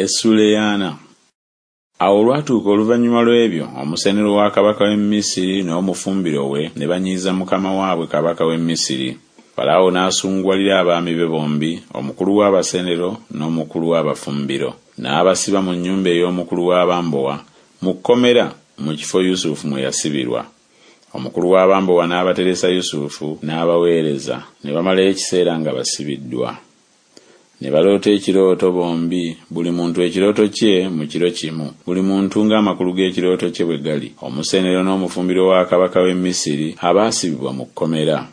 Essuula ey'ana. Awo olwatuuka oluvannyuma lw'ebyo, omusenero wa kabaka w'e Misiri n'omufumbiro we ne banyiiza mukama waabwe kabaka w'e Misiri. Falaawo n'asunguwalira abaami be bombi, omukulu w'abasenero n'omukulu w'abafumbiro, n'abasiba mu nnyumba ey'omukulu w'abambowa mu kkomera mu kifo Yusufu mwe yasibirwa. Omukulu w'abambowa n'abateresa Yusufu n'abaweereza, ne bamalayo ekiseera nga basibiddwa. Ne baloota ekirooto bombi, buli muntu ekirooto kye mu kiro kimu, buli muntu ng'amakulu g'ekirooto kye bwe gali, omusenero n'omufumbiro wa kabaka w'e Misiri abaasibibwa mu kkomera.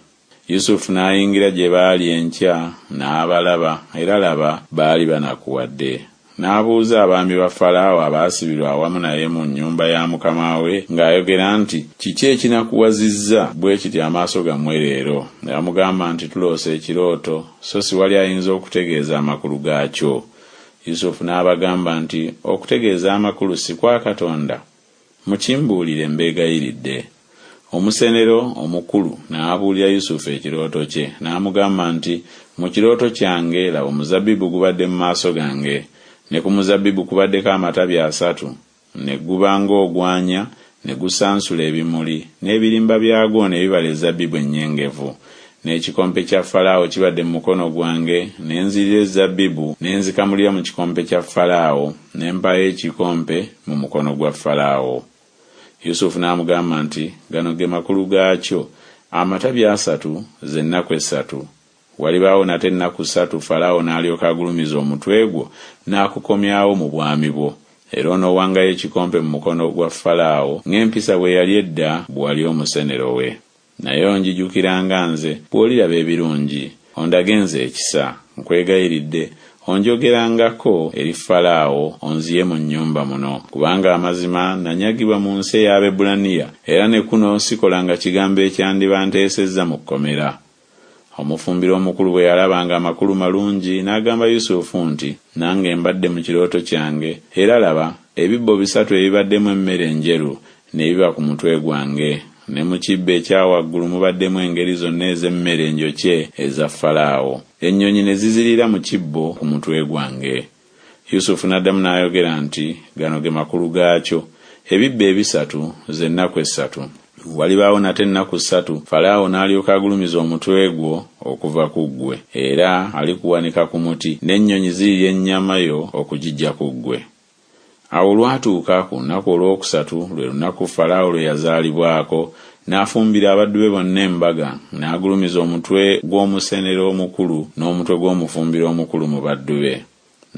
Yusufu n'ayingira gye baali enkya, n'abalaba, era laba, baali banakuwadde. N'abuuza abaami ba Falaawo abaasibirwa awamu naye mu nnyumba ya mukama we ng'ayogera nti, Kiki ekinakuwazizza bwe kityo amaaso gammwe leero? Ne bamugamba nti, Tuloose ekirooto, so siwali ayinza okutegeeza amakulu gaakyo. Yusufu n'abagamba nti, Okutegeeza amakulu si kwa Katonda? Mukimbuulire mbeegayiridde. Omusenero omukulu n'abuulira Yusufu ekirooto kye, n'amugamba nti, Mu kirooto kyange, laba omuzabbibu gubadde mu maaso gange, ne ku muzabbibu kubaddeko amatabi asatu, ne guba ng'ogwanya, ne gusansula ebimuli, n'ebirimba byagwo ne bibala ezzabbibu ennyengevu. N'ekikompe kya Falaawo kibadde mu mukono gwange, ne nzirira ezzabbibu ne nzikamulira mu kikompe kya Falaawo, ne mpaayo ekikompe mu mukono gwa Falaawo. Yusufu n'amugamba nti, Gano ge makulu gaakyo, amatabi asatu ze nnaku essatu. Walibaawo nate ennaku ssatu Falaawo n'alyoka agulumiza omutwe gwo n'akukomyawo mu bwami bwo, era onoowangayo ekikompe mu mukono gwa Falaawo ng'empisa bwe yali edda bwe wali omusenero we. Naye onjijukiranga nze bw'oliraba ebirungi, ondage nze ekisa, nkwegayiridde, onjogerangako eri Falaawo onziye mu nnyumba muno, kubanga amazima nanyagibwa mu nsi ey'Abaebbulaniya, era ne kuno sikolanga kigambo ekyandibanteesezza mu kkomera. Omufumbiro omukulu bwe yalaba ng'amakulu malungi, n'agamba Yusufu nti, Nange mbadde mu kirooto kyange, era laba, ebibbo bisatu ebibaddemu emmere enjeru ne biba ku mutwe gwange, ne mu kibbo ekya waggulu mubaddemu engeri zonna ez'emmere enjokye eza Falaawo, ennyonyi ne ziziriira mu kibbo ku mutwe gwange. Yusufu n'addamu n'ayogera nti, Gano ge makulu gaakyo, ebibbo ebisatu ze nnaku essatu. Walibaawo nate ennaku ssatu, Falaawo n'alyoka agulumiza omutwe gwo okuva ku ggwe, era alikuwanika ku muti, n'ennyonyi zirirya ennyama yo okugiggya ku ggwe. Awo olwatuuka ku lunaku olwokusatu, lwe lunaku Falaawo lwe yazaalibwako, n'afumbira abaddu be bonna embaga, n'agulumiza omutwe gw'omusenero omukulu n'omutwe gw'omufumbiro omukulu mu baddu be.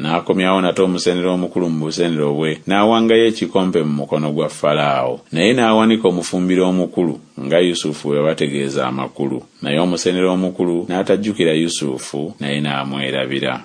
N'akomyawo nate omusenero omukulu mu busenero bwe, n'awangayo ekikompe mu mukono gwa Falaawo. Naye n'awanika omufumbiro omukulu, nga Yusufu bwe yabategeeza amakulu. Naye omusenero omukulu n'atajjukira Yusufu, naye n'amwerabira.